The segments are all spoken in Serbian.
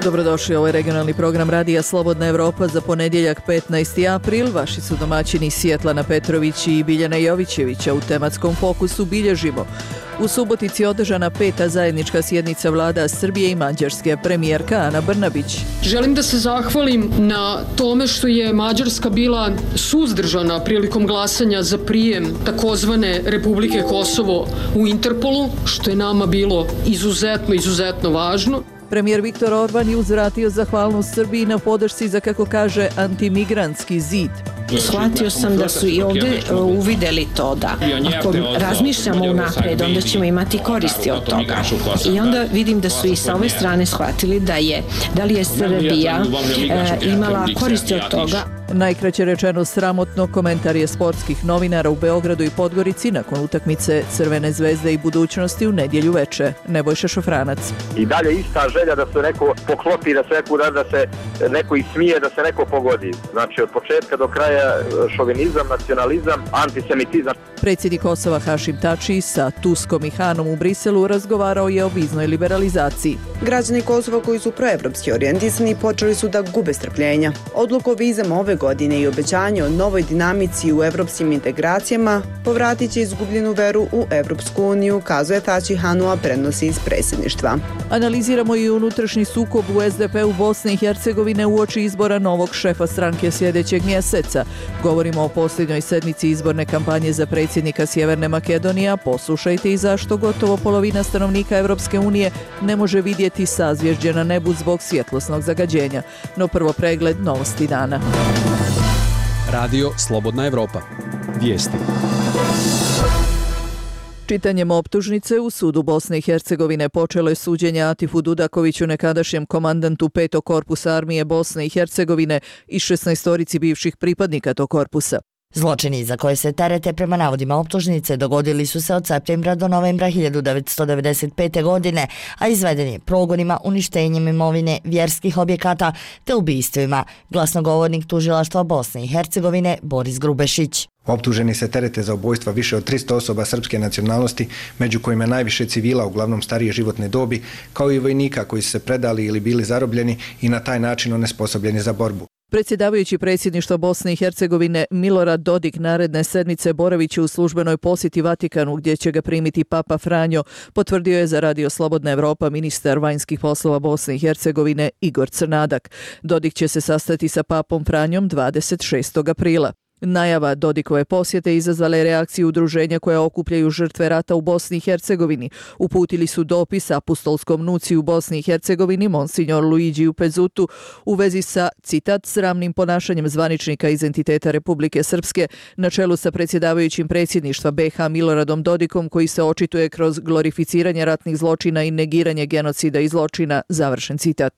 Dobrodošli, ovo je regionalni program Radija Slobodna Evropa za ponedjeljak 15. april. Vaši su domaćini Sjetlana Petrović i Biljana Jovićevića. U tematskom fokusu bilježimo. U Subotici održana 5. zajednička sjednica vlada Srbije i Mađarske, premijerka Ana Brnabić. Želim da se zahvalim na tome što je Mađarska bila suzdržana prilikom glasanja za prijem takozvane Republike Kosovo u Interpolu, što je nama bilo izuzetno važno. Premijer Viktor Orban je uzvratio zahvalnost Srbiji na podršci za, kako kaže, antimigrantski zid. Shvatio sam da su i ovdje uvidjeli to da ako razmišljamo unaprijed, onda ćemo imati koristi od toga. I onda vidim da su i sa ove strane shvatili da li je Srbija imala koristi od toga. Najkraće rečeno sramotno, komentar je sportskih novinara u Beogradu i Podgorici nakon utakmice Crvene zvezde i Budućnosti u nedjelju veče. Nebojša Šofranac. I dalje ista želja da se neko poklopi, da se neko da se neko ismije, da se neko pogodi. Znači od početka do kraja šovinizam, nacionalizam, antisemitizam. Predsjednik Kosova Hašim Tači sa Tuskom i Hanom u Briselu razgovarao je o viznoj liberalizaciji. Građani Kosova koji su proevropski orijentisani počeli su da gube strpljenja. Odluku o vizama ove godine i obećanje o novoj dinamici u evropskim integracijama povratit će izgubljenu veru u Evropsku uniju, kazuje Tači Hanu, a prenosi iz predsjedništva. Analiziramo i unutrašnji sukob u SDP-u Bosne i Hercegovine uoči izbora novog šefa stranke sljedećeg mjeseca. Govorimo o posljednjoj sedmici izborne kampanje za predsjednika Sjeverne Makedonije. Poslušajte i zašto gotovo polovina stanovnika Evropske unije ne može vidjeti sazvježđe na nebu zbog svjetlosnog zagađenja. No prvo pregled novosti dana. Radio Slobodna Evropa. Vijesti. Čitanjem optužnice u sudu Bosne i Hercegovine počelo je suđenje Atifu Dudakoviću, nekadašnjem komandantu 5. korpusa armije Bosne i Hercegovine i 16 bivših pripadnika tog korpusa. Zločini za koje se terete prema navodima optužnice dogodili su se od septembra do novembra 1995. godine, a izveden je progonima, uništenjem imovine, vjerskih objekata te ubistvima, glasnogovornik tužilaštva Bosne i Hercegovine Boris Grubešić. Optuženi se terete za ubojstva više od 300 osoba srpske nacionalnosti, među kojima najviše civila, uglavnom starije životne dobi, kao i vojnika koji su se predali ili bili zarobljeni i na taj način onesposobljeni za borbu. Predsjedavajući predsjedništva Bosne i Hercegovine Milorad Dodik naredne sedmice boravit će u službenoj posjeti Vatikanu gdje će ga primiti Papa Franjo, potvrdio je za Radio Slobodna Evropa ministar vanjskih poslova Bosne i Hercegovine Igor Crnadak. Dodik će se sastati sa Papom Franjom 26. aprila. Najava Dodikove posjete izazvala je reakciju udruženja koja okupljaju žrtve rata u Bosni i Hercegovini. Uputili su dopis apostolskom nuciju u Bosni i Hercegovini Monsignor Luigiju Pezutu u vezi sa, citat, sramnim ponašanjem zvaničnika iz entiteta Republike Srpske na čelu sa predsjedavajućim predsjedništva BiH Miloradom Dodikom, koji se očituje kroz glorificiranje ratnih zločina i negiranje genocida i zločina, završen citat.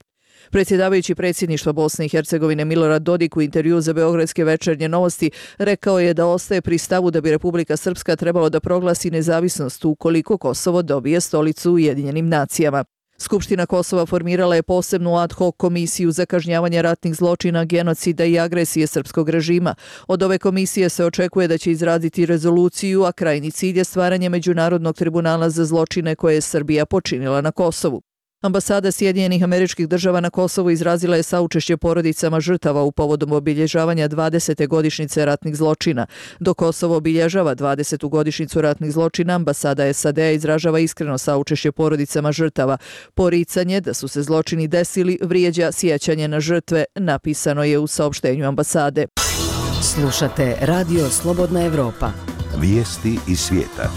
Predsjedavajući predsjedništva Bosne i Hercegovine Milorad Dodik u intervju za Beogradske večernje novosti rekao je da ostaje pri stavu da bi Republika Srpska trebalo da proglasi nezavisnost ukoliko Kosovo dobije stolicu u Ujedinjenim nacijama. Skupština Kosova formirala je posebnu ad hoc komisiju za kažnjavanje ratnih zločina, genocida i agresije srpskog režima. Od ove komisije se očekuje da će izraditi rezoluciju, a krajnji cilj je stvaranje Međunarodnog tribunala za zločine koje je Srbija počinila na Kosovu. Ambasada Sjedinjenih Američkih Država na Kosovu izrazila je saučešće porodicama žrtava u povodom obilježavanja 20. godišnjice ratnih zločina. Dok Kosovo obilježava 20. godišnjicu ratnih zločina, ambasada SAD-a izražava iskreno saučešće porodicama žrtava. Poricanje da su se zločini desili vrijeđa sjećanje na žrtve, napisano je u saopštenju ambasade. Slušate Radio Slobodna Evropa. Vijesti iz svijeta.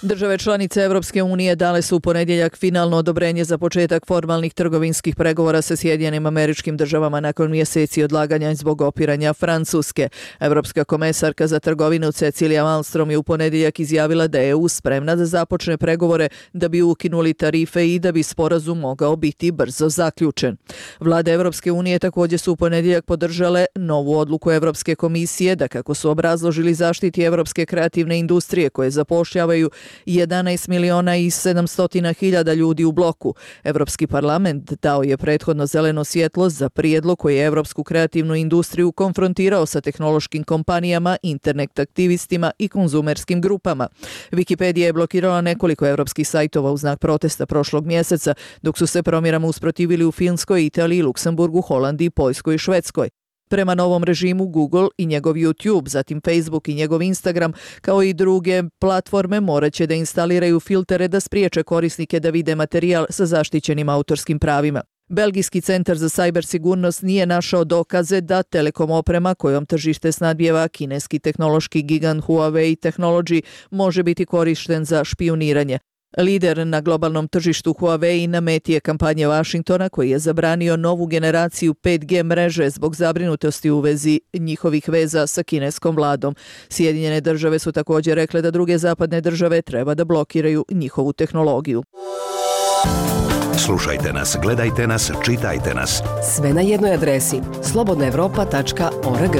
Države članice Evropske unije dale su u ponedjeljak finalno odobrenje za početak formalnih trgovinskih pregovora sa Sjedinjenim Američkim Državama nakon mjeseci odlaganja zbog opiranja Francuske. Evropska komesarka za trgovinu Cecilija Malmström je u ponedjeljak izjavila da je EU spremna da započne pregovore da bi ukinuli tarife i da bi sporazum mogao biti brzo zaključen. Vlade Evropske unije također su u ponedjeljak podržale novu odluku Evropske komisije da, kako su obrazložili, zaštiti evropske kreativne industrije koje zapošljavaju 11 miliona i 700 hiljada ljudi u bloku. Evropski parlament dao je prethodno zeleno svjetlo za prijedlog koji je evropsku kreativnu industriju konfrontirao sa tehnološkim kompanijama, internet aktivistima i konzumerskim grupama. Wikipedia je blokirala nekoliko evropskih sajtova u znak protesta prošlog mjeseca, dok su se promjerama usprotivili u Finskoj, Italiji, Luksemburgu, Holandiji, Poljskoj i Švedskoj. Prema novom režimu Google i njegov YouTube, zatim Facebook i njegov Instagram, kao i druge platforme morat će da instaliraju filtere da spriječe korisnike da vide materijal sa zaštićenim autorskim pravima. Belgijski centar za sajber sigurnost nije našao dokaze da telekom oprema kojom tržište snadbijeva kineski tehnološki gigant Huawei Technology može biti korišten za špijuniranje. Lider na globalnom tržištu Huawei na meti je kampanje Washingtona koji je zabranio novu generaciju 5G mreže zbog zabrinutosti u vezi njihovih veza sa kineskom vladom. Sjedinjene države su također rekle da druge zapadne države treba da blokiraju njihovu tehnologiju. Slušajte nas, gledajte nas, čitajte nas. Sve na jednoj adresi slobodnaevropa.org.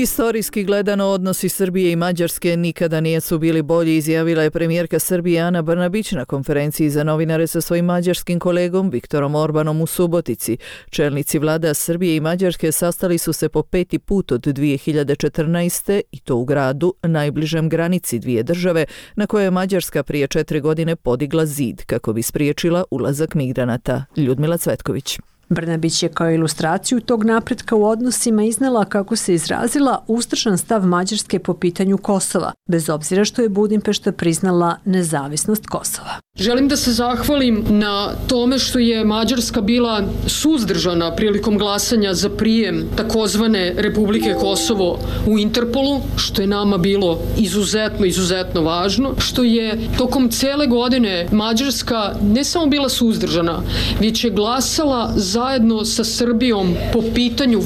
Istorijski gledano odnosi Srbije i Mađarske nikada nisu bili bolji, izjavila je premijerka Srbije Ana Brnabić na konferenciji za novinare sa svojim mađarskim kolegom Viktorom Orbanom u Subotici. Čelnici vlada Srbije i Mađarske sastali su se po 5. put od 2014. i to u gradu najbližem granici dvije države, na kojoj je Mađarska prije 4 godine podigla zid kako bi spriječila ulazak migranata. Ljudmila Cvetković. Brnabić je kao ilustraciju tog napretka u odnosima iznela, kako se izrazila, ustršan stav Mađarske po pitanju Kosova, bez obzira što je Budimpešta priznala nezavisnost Kosova. Želim da se zahvalim na tome što je Mađarska bila suzdržana prilikom glasanja za prijem takozvane Republike Kosovo u Interpolu, što je nama bilo izuzetno važno, što je tokom cele godine Mađarska ne samo bila suzdržana, već je glasala zajedno sa Srbijom po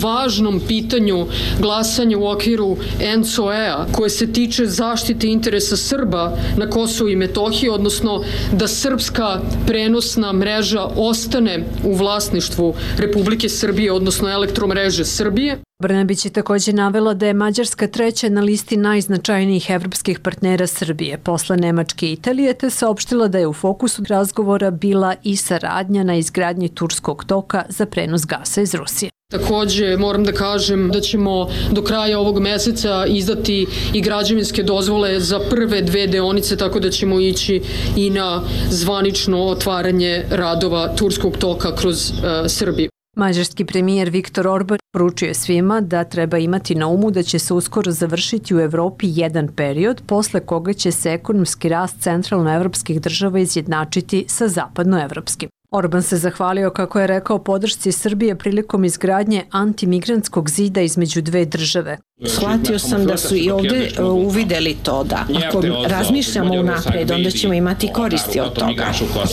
važnom pitanju glasanja u okviru ENCOE-a koje se tiče zaštite interesa Srba na Kosovu i Metohiji, odnosno da srpska prenosna mreža ostane u vlasništvu Republike Srbije, odnosno Elektromreže Srbije. Brnabić je također navela da je Mađarska treća na listi najznačajnijih evropskih partnera Srbije posle Nemačke i Italije, te saopštila da je u fokusu razgovora bila i saradnja na izgradnji Turskog toka za prenos gasa iz Rusije. Također moram da kažem da ćemo do kraja ovog meseca izdati i građevinske dozvole za prve 2 deonice, tako da ćemo ići i na zvanično otvaranje radova Turskog toka kroz Srbiju. Mađarski premijer Viktor Orban poručio je svima da treba imati na umu da će se uskoro završiti u Evropi jedan period posle koga će se ekonomski rast centralnoevropskih država izjednačiti sa zapadnoevropskim. Orban se zahvalio, kako je rekao, podršci Srbije prilikom izgradnje antimigrantskog zida između dve države. Shvatio sam da su i ovdje uvideli to da ako razmišljamo unapred, onda ćemo imati koristi od toga.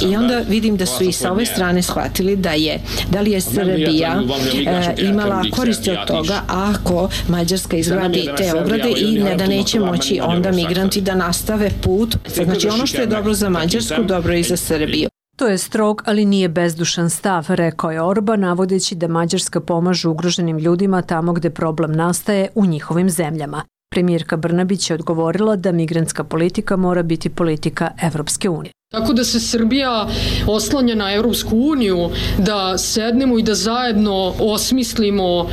I onda vidim da su i sa ove strane shvatili da li je Srbija imala koristi od toga ako Mađarska izgradi te ograde i da neće moći onda migranti da nastave put. Znači ono što je dobro za Mađarsku, dobro je i za Srbiju. To je strog, ali nije bezdušan stav, rekao je Orban, navodeći da Mađarska pomaže ugroženim ljudima tamo gde problem nastaje u njihovim zemljama. Premijerka Brnabić je odgovorila da migrantska politika mora biti politika Evropske unije. Tako da se Srbija oslanja na Evropsku uniju, da sednemo i da zajedno osmislimo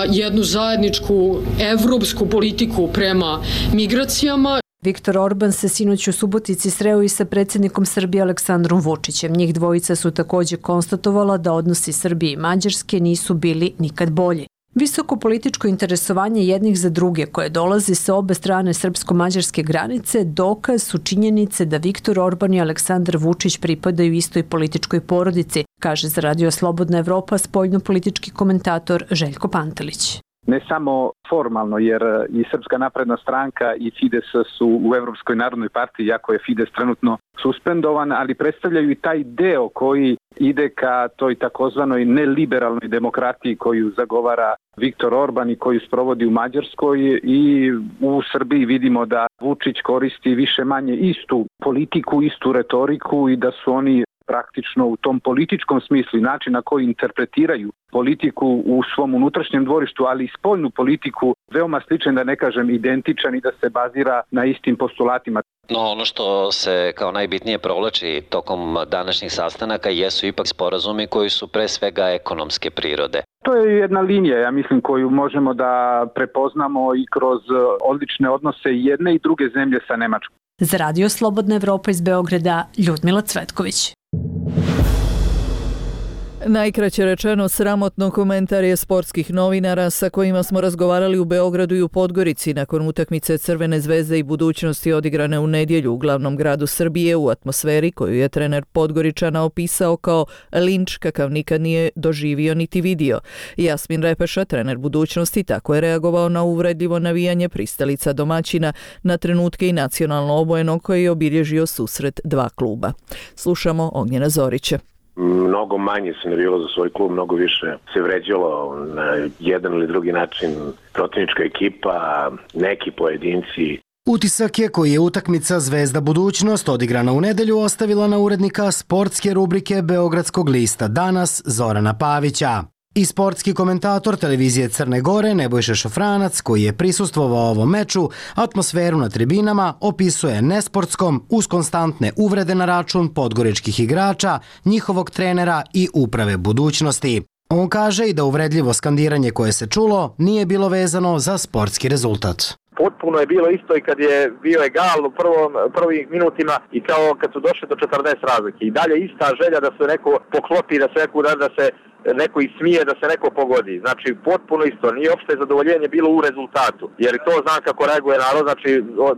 jednu zajedničku evropsku politiku prema migracijama. Viktor Orban se sinoć u Subotici sreo i sa predsjednikom Srbije Aleksandrom Vučićem. Njih dvojica su također konstatovala da odnosi Srbije i Mađarske nisu bili nikad bolji. Visoko političko interesovanje jednih za druge koje dolazi sa obe strane srpsko-mađarske granice dokaz su činjenice da Viktor Orban i Aleksandar Vučić pripadaju istoj političkoj porodici, kaže za Radio Slobodna Evropa spoljno-politički komentator Željko Pantelić. Ne samo formalno, jer i Srpska napredna stranka i Fides su u Evropskoj narodnoj partiji, iako je Fides trenutno suspendovan, ali predstavljaju i taj deo koji ide ka toj takozvanoj neliberalnoj demokratiji koju zagovara Viktor Orban i koju sprovodi u Mađarskoj, i u Srbiji vidimo da Vučić koristi više manje istu politiku, istu retoriku i da su oni praktično u tom političkom smislu i način na koji interpretiraju politiku u svom unutrašnjem dvorištu, ali i spoljnu politiku veoma sličan, da ne kažem identičan i da se bazira na istim postulatima. No, ono što se kao najbitnije provlači tokom današnjih sastanaka jesu ipak sporazumi koji su pre svega ekonomske prirode. To je jedna linija, ja mislim, koju možemo da prepoznamo i kroz odlične odnose jedne i druge zemlje sa Nemačkom. Za Radio Slobodna Evropa iz Beograda, Ljudmila Cvetković. Najkraće rečeno, sramotno komentar je sportskih novinara sa kojima smo razgovarali u Beogradu i u Podgorici nakon utakmice Crvene zvezde i Budućnosti odigrane u nedjelju u glavnom gradu Srbije u atmosferi koju je trener Podgoričana opisao kao linč kakav nikad nije doživio niti vidio. Jasmin Repeša, trener Budućnosti, tako je reagovao na uvredljivo navijanje pristalica domaćina na trenutke i nacionalno obojenog koji je obilježio susret dva kluba. Slušamo Ognjena Zorića. Mnogo manje se navijalo za svoj klub, mnogo više se vređalo na jedan ili drugi način protivnička ekipa, neki pojedinci. Utisak je koji je utakmica Zvezda Budućnost odigrana u nedelju ostavila na urednika sportske rubrike Beogradskog lista Danas Zorana Pavića. I sportski komentator televizije Crne Gore Nebojša Šofranac, koji je prisustvovao ovom meču, atmosferu na tribinama opisuje nesportskom uz konstantne uvrede na račun podgoričkih igrača, njihovog trenera i uprave Budućnosti. On kaže i da uvredljivo skandiranje koje se čulo nije bilo vezano za sportski rezultat. Potpuno je bilo isto i kad je bio egal u prvim minutima i kao kad su došli do 40 razlike. I dalje ista želja da se neko poklopi, da se neko ismije, da se neko pogodi. Znači, potpuno isto. Nije opšte zadovoljenje bilo u rezultatu. Jer to znam kako reaguje narod, znači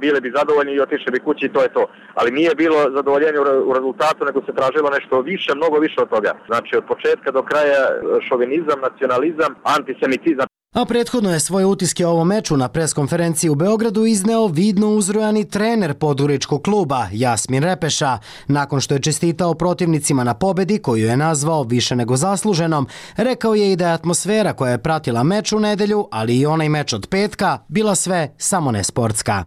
bili bi zadovoljni i otišli bi kući i to je to. Ali nije bilo zadovoljenje u rezultatu, nego se tražilo nešto više, mnogo više od toga. Znači, od početka do kraja šovinizam, nacionalizam, antisemitizam. A prethodno je svoje utiske o ovom meču na preskonferenciji u Beogradu izneo vidno uzrujani trener podgoričkog kluba Jasmin Repeša. Nakon što je čestitao protivnicima na pobedi, koju je nazvao više nego zasluženom, rekao je i da je atmosfera koja je pratila meč u nedelju, ali i onaj meč od petka, bila sve samo ne sportska.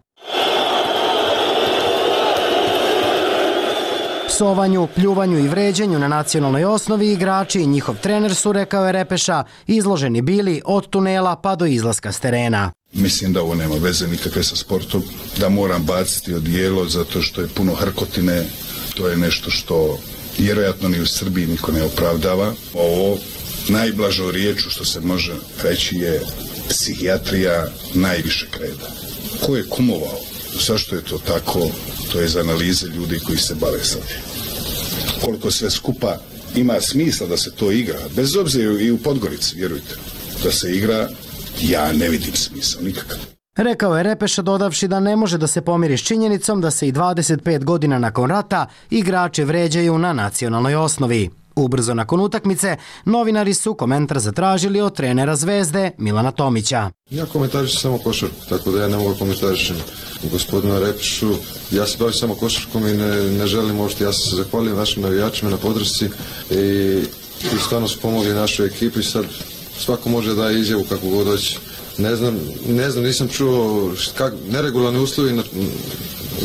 Psovanju, pljuvanju i vređenju na nacionalnoj osnovi igrači i njihov trener su, rekao je Repeša, izloženi bili od tunela pa do izlaska s terena. Mislim da ovo nema veze nikakve sa sportom, da moram baciti odijelo zato što je puno hrkotine, to je nešto što vjerojatno ni u Srbiji niko ne opravdava. Ovo najblažo riječu što se može reći je psihijatrija najvišeg reda. Ko je kumovao? Zašto je to tako? To je iz analize ljudi koji se bave sad. Koliko sve skupa ima smisla da se to igra, bez obzira i u Podgorici, vjerujte, da se igra, ja ne vidim smisla nikakav. Rekao je Repeša dodavši da ne može da se pomiri s činjenicom da se i 25 godina nakon rata igrači vređaju na nacionalnoj osnovi. Ubrzo nakon utakmice, novinari su komentar zatražili od trenera Zvezde Milana Tomića. Ja komentarišem samo košarku, tako da ja ne mogu komentarišem gospodina Repešu. Ja se bavim samo košarkom i ne želim uopšte. Ja sam se zahvalio našim navijačima na podršci i stvarno su pomogli našoj ekipi. Sad svako može da izjavu kako god hoće. Ne znam, nisam čuo neregularni uslovi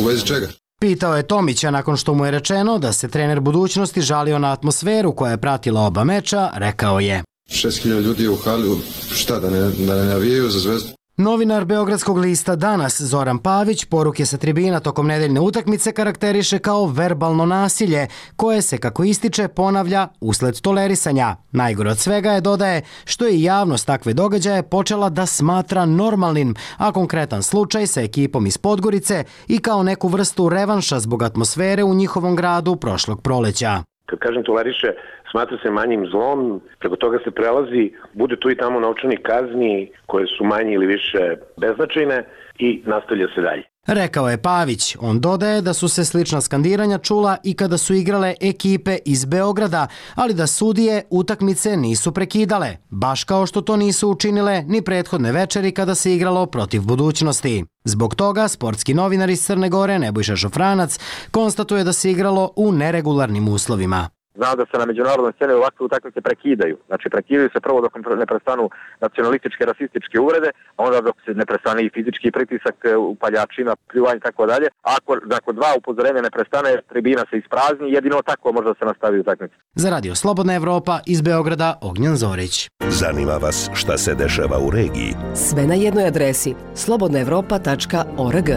u vezi čega. Pitao je Tomića nakon što mu je rečeno da se trener Budućnosti žalio na atmosferu koja je pratila oba meča, rekao je. 6.000 ljudi je u hali, šta da ne navijaju za Zvezdu? Novinar Beogradskog lista Danas Zoran Pavić poruke sa tribina tokom nedeljne utakmice karakteriše kao verbalno nasilje koje se, kako ističe, ponavlja usled tolerisanja. Najgore od svega je, dodaje, što je javnost takve događaje počela da smatra normalnim, a konkretan slučaj sa ekipom iz Podgorice i kao neku vrstu revanša zbog atmosfere u njihovom gradu prošlog proleća. Kad kažem toleriše, smatra se manjim zlom, preko toga se prelazi, bude tu i tamo novčanih kazni koje su manje ili više beznačajne i nastavlja se dalje. Rekao je Pavić. On dodaje da su se slična skandiranja čula i kada su igrale ekipe iz Beograda, ali da sudije utakmice nisu prekidale, baš kao što to nisu učinile ni prethodne večeri kada se igralo protiv Budućnosti. Zbog toga sportski novinar iz Crne Gore Nebojša Šofranac konstatuje da se igralo u neregularnim uslovima. Znam da se na međunarodnoj sceni ovakve utakmice prekidaju. Znači prekidaju se prvo dok ne prestanu nacionalističke, rasističke uvrede, a onda dok se ne prestane i fizički pritisak, upaljačina, pljuvanje i tako dalje. Ako nakon 2 upozorenja ne prestane, tribina se isprazni, jedino tako može da se nastavi utakmica. Za Radio Slobodna Evropa iz Beograda, Ognjan Zorić. Zanima vas šta se dešava u regiji? Sve na jednoj adresi slobodnaevropa.org.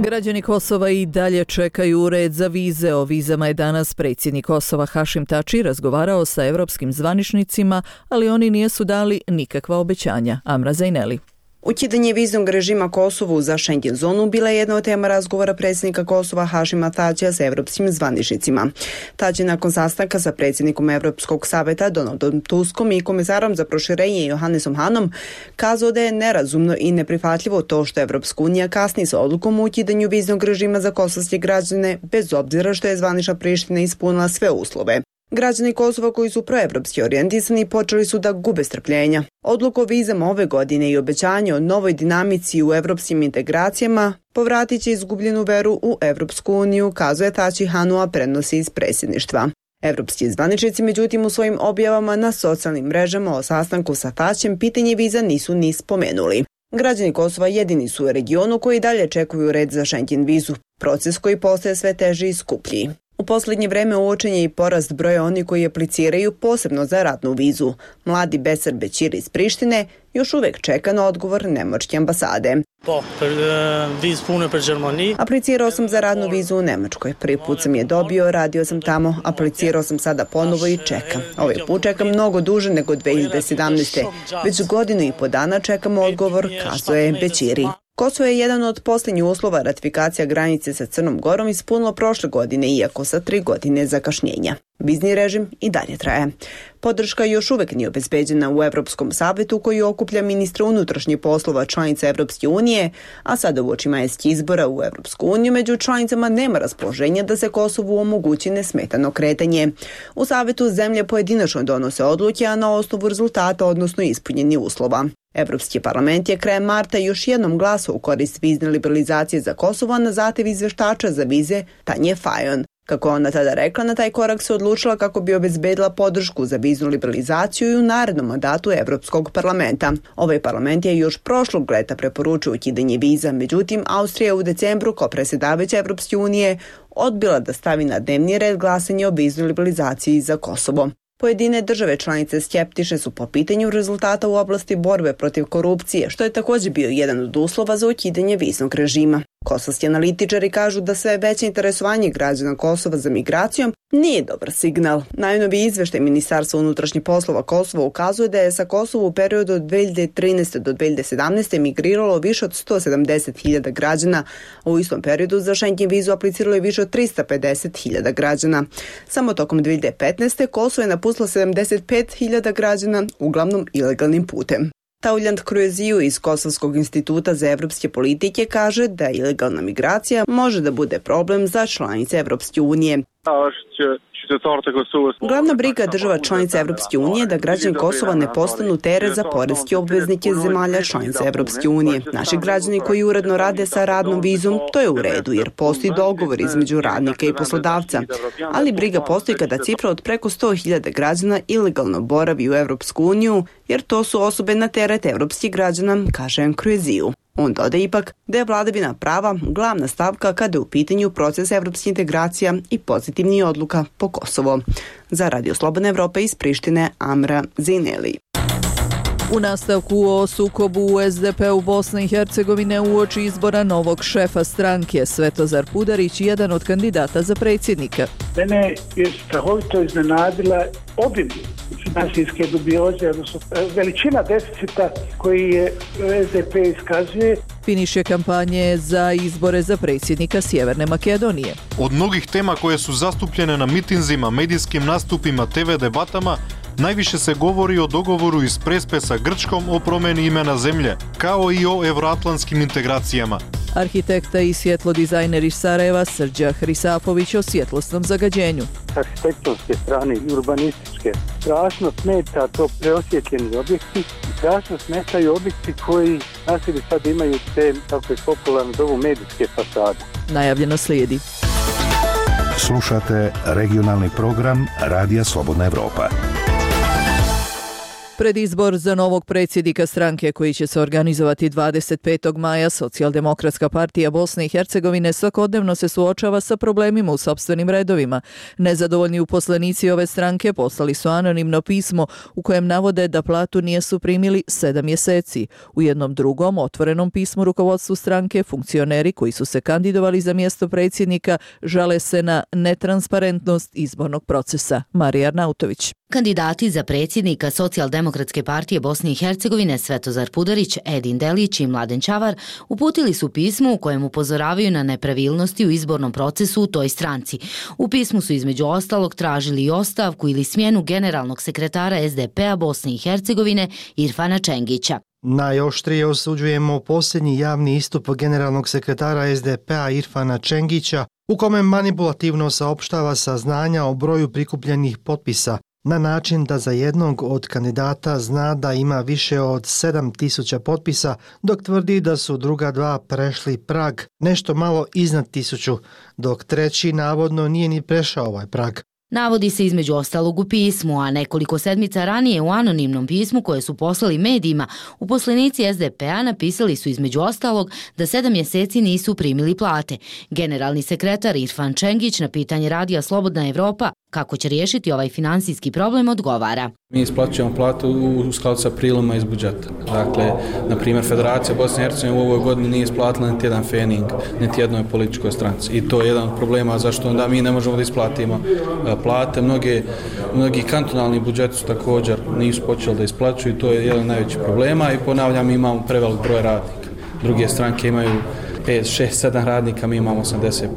Građani Kosova i dalje čekaju red za vize. O vizama je danas predsjednik Kosova Hašim Tači razgovarao sa evropskim zvaničnicima, ali oni nisu dali nikakva obećanja. Amra Zajneli. Ukidanje viznog režima Kosovu za Schengen zonu bila je jedna od tema razgovora predsjednika Kosova Hašima Tačija sa evropskim zvaničnicima. Tači nakon sastanka sa predsjednikom Evropskog saveta Donaldom Tuskom i komisarom za proširenje Johannesom Hanom kazao da je nerazumno i neprihvatljivo to što Evropska unija kasni sa odlukom o ukidanju viznog režima za kosovske građane, bez obzira što je zvanična Priština ispunila sve uslove. Građani Kosova koji su proevropski orijentisani počeli su da gube strpljenja. Odluku o vizama ove godine i obećanje o novoj dinamici u evropskim integracijama povratit će izgubljenu veru u Evropsku uniju, kazuje Tači Hanu, a prenosi iz predsjedništva. Evropski zvaničnici, međutim, u svojim objavama na socijalnim mrežama o sastanku sa Tačem pitanje viza nisu ni spomenuli. Građani Kosova jedini su u regionu koji dalje čekuju red za Schengen vizu, proces koji postaje sve teži i skuplji. U posljednje vreme uočen je i porast broja oni koji apliciraju posebno za radnu vizu. Mladi Besar Bećir iz Prištine još uvijek čeka na odgovor nemačke ambasade. Aplicirao sam za radnu vizu u Nemačkoj. Prvi put sam je dobio, radio sam tamo, aplicirao sam sada ponovo i čekam. Ovaj put čekam mnogo duže nego 2017. Već godinu i po dana čekamo odgovor, kazuje Bećiri. Kosovo je jedan od posljednjih uslova ratifikacija granice sa Crnom Gorom ispunilo prošle godine, iako sa 3 godine zakašnjenja. Vizni režim i dalje traje. Podrška još uvijek nije obezbeđena u Evropskom savetu koji okuplja ministra unutrašnjih poslova članica Evropske unije, a sada uoči majskih izbora u Evropsku uniju među članicama nema raspoloženja da se Kosovu omogući nesmetano kretanje. U savetu zemlje pojedinačno donose odluke, a na osnovu rezultata, odnosno ispunjenih uslova. Evropski parlament je krajem marta još jednom glasao u korist vizne liberalizacije za Kosovo na zahtev izveštača za vize Tanje Fajon. Kako ona tada rekla, na taj korak se odlučila kako bi obezbedila podršku za viznu liberalizaciju i u narednom mandatu Evropskog parlamenta. Ovaj parlament je još prošlog leta preporučio ukidanje viza, međutim Austrija u decembru kao predsjedavajuća Evropske unije odbila da stavi na dnevni red glasanje o viznoj liberalizaciji za Kosovo. Pojedine države članice skeptične su po pitanju rezultata u oblasti borbe protiv korupcije, što je također bio jedan od uslova za ukidanje viznog režima. Kosovski analitičari kažu da sve veće interesovanje građana Kosova za migracijom nije dobar signal. Najnoviji izveštaj Ministarstva unutrašnjih poslova Kosova ukazuje da je sa Kosova u periodu od 2013. do 2017. migriralo više od 170.000 građana, a u istom periodu za Schengen vizu apliciralo je više od 350.000 građana. Samo tokom 2015. Kosovo je napustilo 75.000 građana, uglavnom ilegalnim putem. Tauljant Krueziju iz Kosovskog instituta za evropske politike kaže da ilegalna migracija može da bude problem za članice Evropske unije. Glavna briga država članica Evropske unije je da građani Kosova ne postanu teret za poreske obveznike zemalja članica Evropske unije. Naši građani koji uredno rade sa radnom vizom, to je u redu jer postoji dogovor između radnika i poslodavca. Ali briga postoji kada cifra od preko 100.000 građana ilegalno boravi u Evropsku uniju jer to su osobe na teret evropskih građana, kaže Krueziju. On doda ipak da je vladavina prava glavna stavka kada je u pitanju proces evropskih integracija i pozitivnih odluka po Kosovo. Za Radio Slobodna Evropa iz Prištine, Amra Zineli. U nastavku o sukobu u SDP-u Bosne i Hercegovine uoči izbora novog šefa stranke, Svetozar Pudarić, jedan od kandidata za predsjednika. Mene je strahovito iznenadila obim finansijske dubioze, odnosno veličina deficita koji je SDP iskazuje. Finiše kampanje za izbore za predsjednika Sjeverne Makedonije. Od mnogih tema koje su zastupljene na mitinzima, medijskim nastupima, TV debatama, najviše se govori o dogovoru iz Prespe sa Grčkom o promjeni imena zemlje, kao i o evroatlantskim integracijama. Arhitekta i svjetlodizajner iz Sarajeva Srđa Hrisapović o svjetlosnom zagađenju. S arhitektonske strane i urbanističke strašno smeta to preosjetljeni objekti i strašno smetaju objekti koji na sebi sad imaju te, kako je popularno zovu, medijske fasade. Najavljeno slijedi. Slušate regionalni program Radija Slobodna Evropa. Predizbor za novog predsjednika stranke koji će se organizovati 25. maja, Socijaldemokratska partija Bosne i Hercegovine svakodnevno se suočava sa problemima u sopstvenim redovima. Nezadovoljni uposlenici ove stranke poslali su anonimno pismo u kojem navode da platu nisu primili 7 mjeseci. U jednom drugom otvorenom pismu rukovodstvu stranke funkcioneri koji su se kandidovali za mjesto predsjednika žale se na netransparentnost izbornog procesa. Marija Arnautović. Kandidati za predsjednika Socijaldemokratske partije Bosne i Hercegovine Svetozar Pudarić, Edin Delić i Mladen Čavar uputili su pismo u kojem upozoravaju na nepravilnosti u izbornom procesu u toj stranci. U pismu su između ostalog tražili i ostavku ili smjenu generalnog sekretara SDP-a Bosne i Hercegovine Irfana Čengića. Najoštrije osuđujemo posljednji javni istup generalnog sekretara SDP-a Irfana Čengića u kome manipulativno saopštava saznanja o broju prikupljenih potpisa na način da za jednog od kandidata zna da ima više od 7.000 potpisa, dok tvrdi da su druga dva prešli prag, nešto malo iznad 1.000, dok treći navodno nije ni prešao ovaj prag. Navodi se između ostalog u pismu, a nekoliko sedmica ranije u anonimnom pismu koje su poslali medijima, uposlenici SDP-a napisali su između ostalog da 7 mjeseci nisu primili plate. Generalni sekretar Irfan Čengić na pitanje Radija Slobodna Evropa kako će riješiti ovaj finansijski problem odgovara. Mi isplaćujemo platu u skladu sa priloma iz budžeta. Dakle, na primjer, Federacija Bosne i Hercegovine u ovoj godini nije isplatila niti jedan fening, niti jednoj političkoj stranci. I to je jedan od problema zašto onda mi ne možemo da isplatimo plate. Mnogi kantonalni budžeti su također nisu počeli da isplaćuju i to je jedan od najvećih problema. I ponavljam, imamo prevelik broj radnika. Druge stranke imaju 5, 6, 7 radnika, mi imamo 85.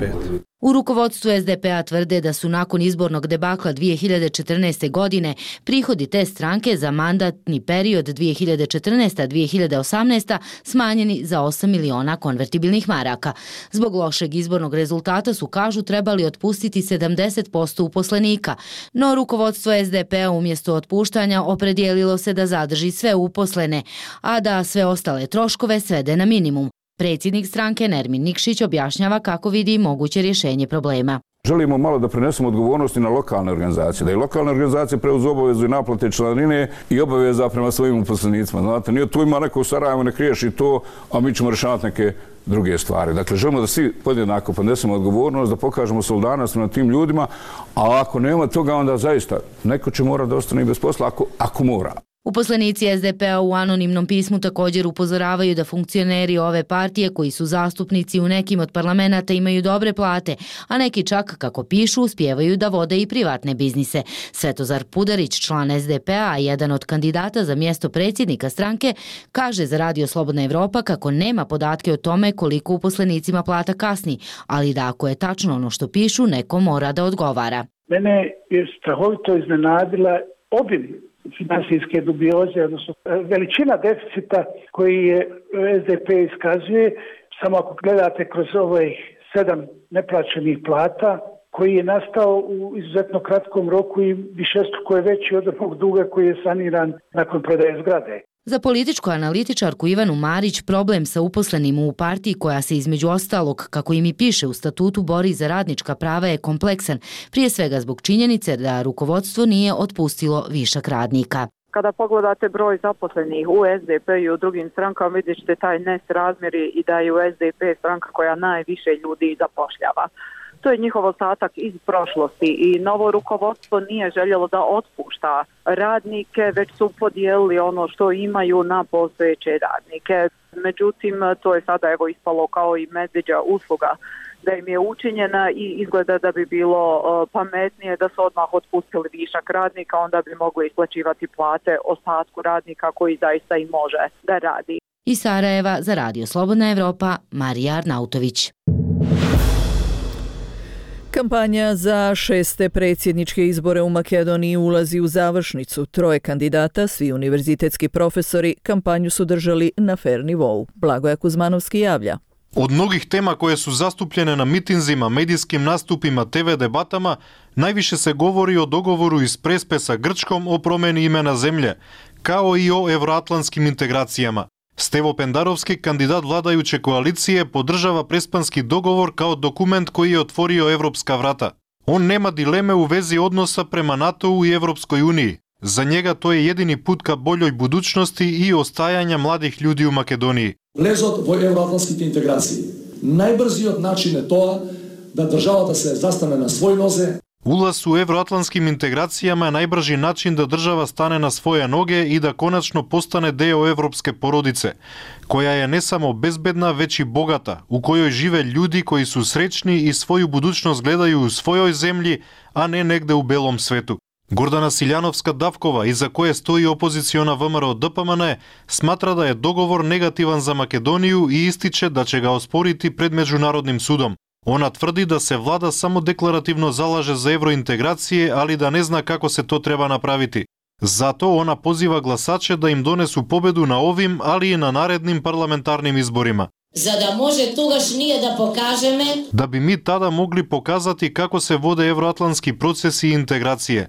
U rukovodstvu SDP-a tvrde da su nakon izbornog debakla 2014. godine prihodi te stranke za mandatni period 2014-2018 smanjeni za 8 miliona konvertibilnih maraka. Zbog lošeg izbornog rezultata su, kažu, trebali otpustiti 70% uposlenika, no rukovodstvo SDP-a umjesto otpuštanja opredijelilo se da zadrži sve uposlene, a da sve ostale troškove svede na minimum. Predsjednik stranke Nermin Nikšić objašnjava kako vidi moguće rješenje problema. Želimo malo da prenesemo odgovornosti na lokalne organizacije, da i lokalne organizacije preuzu obavezu i naplate članarine i obaveza prema svojim uposlenicima. Znate, nije tu ima neko u Sarajevu, nek riješi to, a mi ćemo rješavati neke druge stvari. Dakle, želimo da svi podjednako ponesemo odgovornost, da pokažemo solidarnost na tim ljudima, a ako nema toga, onda zaista neko će morati da ostane i bez posla ako mora. Uposlenici SDP-a u anonimnom pismu također upozoravaju da funkcioneri ove partije koji su zastupnici u nekim od parlamenata imaju dobre plate, a neki čak, kako pišu, uspijevaju da vode i privatne biznise. Svetozar Pudarić, član SDP-a, a jedan od kandidata za mjesto predsjednika stranke, kaže za Radio Slobodna Evropa kako nema podatke o tome koliko uposlenicima plata kasni, ali da ako je tačno ono što pišu, neko mora da odgovara. Mene je strahovito iznenadila obim finansijske dubioze, odnosno veličina deficita koji je SDP iskazuje, samo ako gledate kroz 7 neplaćenih plata, koji je nastao u izuzetno kratkom roku i višestruko je veći od onog duga koji je saniran nakon prodaje zgrade. Za političku analitičarku Ivanu Marić problem sa uposlenim u partiji koja se između ostalog, kako im i piše u statutu, bori za radnička prava je kompleksan, prije svega zbog činjenice da rukovodstvo nije otpustilo višak radnika. Kada pogledate broj zaposlenih u SDP i u drugim strankama, vidjet ćete taj nesrazmjer i da je u SDP stranka koja najviše ljudi zapošljava. To je njihov ostatak iz prošlosti i novo rukovodstvo nije željelo da otpušta radnike, već su podijelili ono što imaju na postojeće radnike. Međutim, to je sada ispalo kao i medvjeđa usluga da im je učinjena i izgleda da bi bilo pametnije da su odmah otpustili višak radnika, onda bi mogli isplaćivati plate ostatku radnika koji zaista i može da radi. Iz Sarajeva za Radio Slobodna Evropa, Marija Arnautović. Kampanja za 6. predsjedničke izbore u Makedoniji ulazi u završnicu. 3 kandidata, svi univerzitetski profesori, kampanju su držali na fair nivou. Blagoja Kuzmanovski javlja. Od mnogih tema koje su zastupljene na mitinzima, medijskim nastupima, TV debatama, najviše se govori o dogovoru iz Prespe sa Grčkom o promjeni imena zemlje, kao i o evroatlantskim integracijama. Stevo Pendarovski, kandidat vladajuće koalicije, podržava prespanski dogovor kao dokument koji je otvorio evropska vrata. On nema dileme u vezi odnosa prema NATO-u i Evropskoj uniji. Za njega to je jedini put ka boljoj budućnosti i ostajanja mladih ljudi u Makedoniji. Влезот во евроатлантските интеграции. Најбрзиот начин е тоа да државата се застане на свој нозе. Улаз у евроатлантским интеграцијама е најбржи начин да држава стане на своја ноге и да конечно постане део европске породице, која е не само безбедна, веќе и богата, у којој живе луѓи кои су среќни и своју будуćност гледају у својој земји, а не негде у белом свету. Гордана Силјановска-Давкова, иза која стои опозициона ВМРО ДПМН, сматра да е договор негативан за Македонију и истиче да ќе го оспорити пред меѓународним судом. Она тврди да се влада само декларативно залаже за евроинтеграција, али да не зна како се то треба направити. Зато она позива гласаче да им донесу победу на овим, али и на наредним парламентарним изборима. За да може тогаш ние да покажеме да би ми тада могли показати како се воде евроатлантски процеси и интеграција,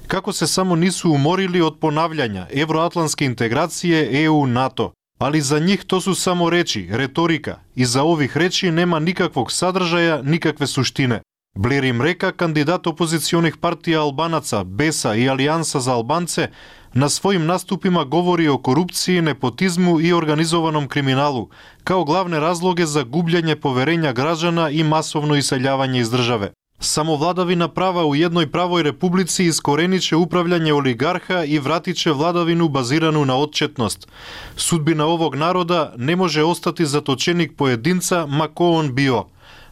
како се само нису уморили од понављања евроатлантски интеграција ЕУ-НАТО. Али за нив то су само речи, реторика, и за ових речи нема никаквог садржаја, никакве суштине. Блер им река, кандидат опозиционих партија Албанаца, БЕСА и Алијанса за албанце, на својим наступима говори о корупција, непотизму и организованом криминалу, као главне разлоги за губљање поверења граѓана и масовно иселјавање из државе. Само владавина права у едној правој републици искорениче управљање олигарха и вратиче владавину базирану на отчетност. Судбина овог народа не може остати заточеник поединца, мако он био.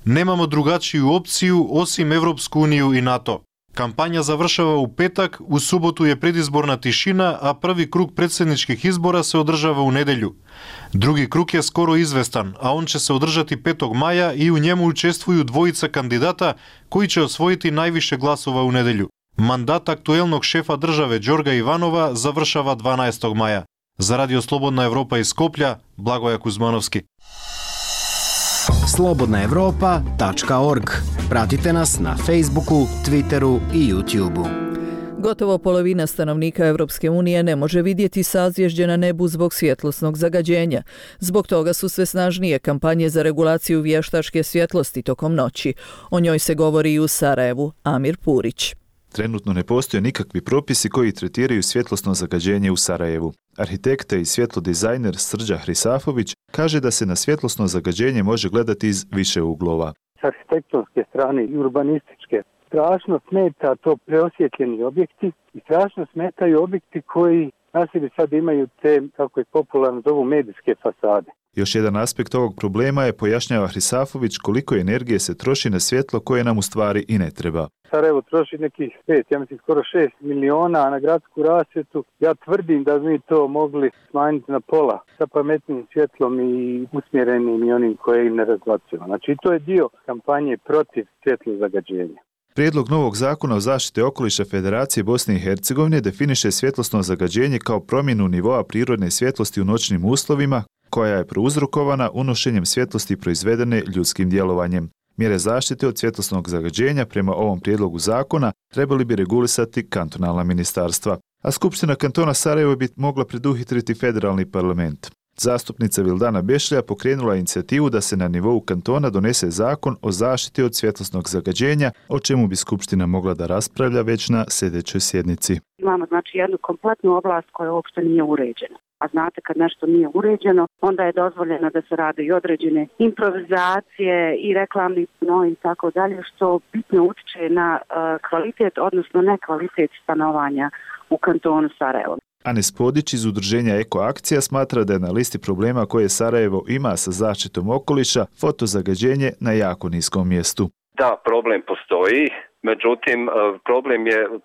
Немамо другачију опцију осим Европску унију и НАТО. Кампања завршава у петак, у суботу е предизборна тишина, а први круг председничких избора се одржава у неделју. Други круг е скоро известан, а он ќе се одржати 5 маја и у njemu учествују двојица кандидата кои ќе освоити највише гласова у неделју. Мандат актуелног шефа државе Ѓорга Иванова завршава 12 маја. За Радио Слободна Европа из Скопје, Благоја Кузмановски. slobodnaevropa.org. Pratite nas na Facebooku, Twitteru i YouTubeu. Gotovo polovina stanovnika Evropske unije ne može vidjeti sazvježđe na nebu zbog svjetlosnog zagađenja. Zbog toga su sve snažnije kampanje za regulaciju vještačke svjetlosti tokom noći. O njoj se govori i u Sarajevu. Amir Purić. Trenutno ne postoje nikakvi propisi koji tretiraju svjetlosno zagađenje u Sarajevu. Arhitekta i svjetlodizajner Srđa Hrisafović kaže da se na svjetlosno zagađenje može gledati iz više uglova. S arhitektonske strane i urbanističke strašno smeta to preosjetljeni objekti i strašno smetaju objekti koji na sebi sad imaju te, kako je popularno zovu, medijske fasade. Još jedan aspekt ovog problema je, pojašnjava Hrisafović, koliko energije se troši na svjetlo koje nam u stvari i ne treba. Sarajevo troši nekih 5, ja mislim skoro 6 miliona, a na gradsku rasvjetu ja tvrdim da mi to mogli smanjiti na pola sa pametnim svjetlom i usmjerenim i onim koje im ne razbacujemo. Znači to je dio kampanje protiv svjetlozagađenja. Prijedlog novog zakona o zaštiti okoliša Federacije Bosne i Hercegovine definiše svjetlosno zagađenje kao promjenu nivoa prirodne svjetlosti u noćnim uslovima koja je prouzrokovana unošenjem svjetlosti proizvedene ljudskim djelovanjem. Mjere zaštite od svjetlosnog zagađenja prema ovom prijedlogu zakona trebali bi regulisati kantonalna ministarstva, a Skupština kantona Sarajevo bi mogla preduhitriti federalni parlament. Zastupnica Vildana Bešlja pokrenula inicijativu da se na nivou kantona donese zakon o zaštiti od svjetlosnog zagađenja, o čemu bi Skupština mogla da raspravlja već na sljedećoj sjednici. Imamo znači jednu kompletnu oblast koja uopšte nije uređena. A znate, kad nešto nije uređeno, onda je dozvoljeno da se rade i određene improvizacije i reklamni panoji i tako dalje, što bitno utiče na kvalitet, odnosno nekvalitet stanovanja u kantonu Sarajevo. Anes Podić iz udruženja Eko Akcija smatra da je na listi problema koje Sarajevo ima sa zaštitom okoliša fotozagađenje na jako niskom mjestu. Da, problem postoji. Međutim, problem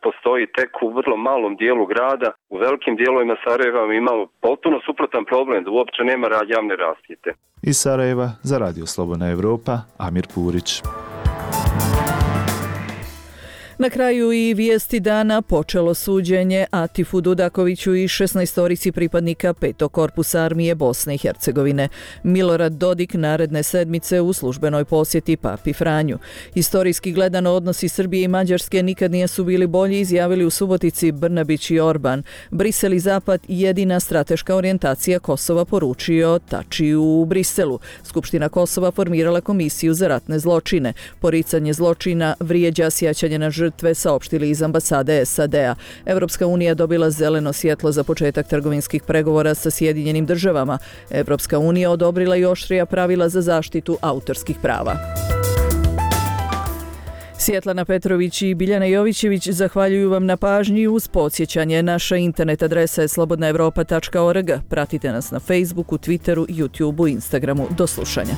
postoji tek u vrlo malom dijelu grada. U velikim dijelovima Sarajeva imamo potpuno suprotan problem, da uopće nema javne rasvjete. Iz Sarajeva za Radio Slobodna Evropa, Amir Purić. Na kraju i vijesti dana počelo suđenje Atifu Dudakoviću i 16 pripadnika 5. korpusa armije Bosne i Hercegovine. Milorad Dodik naredne sedmice u službenoj posjeti Papi Franju. Historijski gledano odnosi Srbije i Mađarske nikad nisu bili bolji, izjavili u Subotici Brnabić i Orban. Brisel i Zapad jedina strateška orijentacija Kosova, poručio Tačiju u Briselu. Skupština Kosova formirala komisiju za ratne zločine. Poricanje zločina vrijeđa sjećanje na žrtve, saopštili iz ambasade SAD-a. Evropska unija dobila zeleno svjetlo za početak trgovinskih pregovora sa Sjedinjenim državama. Evropska unija odobrila i oštrija pravila za zaštitu autorskih prava. Svjetlana Petrović i Biljana Jovićević zahvaljuju vam na pažnji. Uz podsjećanje, naša internet adresa je slobodnaevropa.org. Pratite nas na Facebooku, Twitteru, YouTubeu, Instagramu. Do slušanja.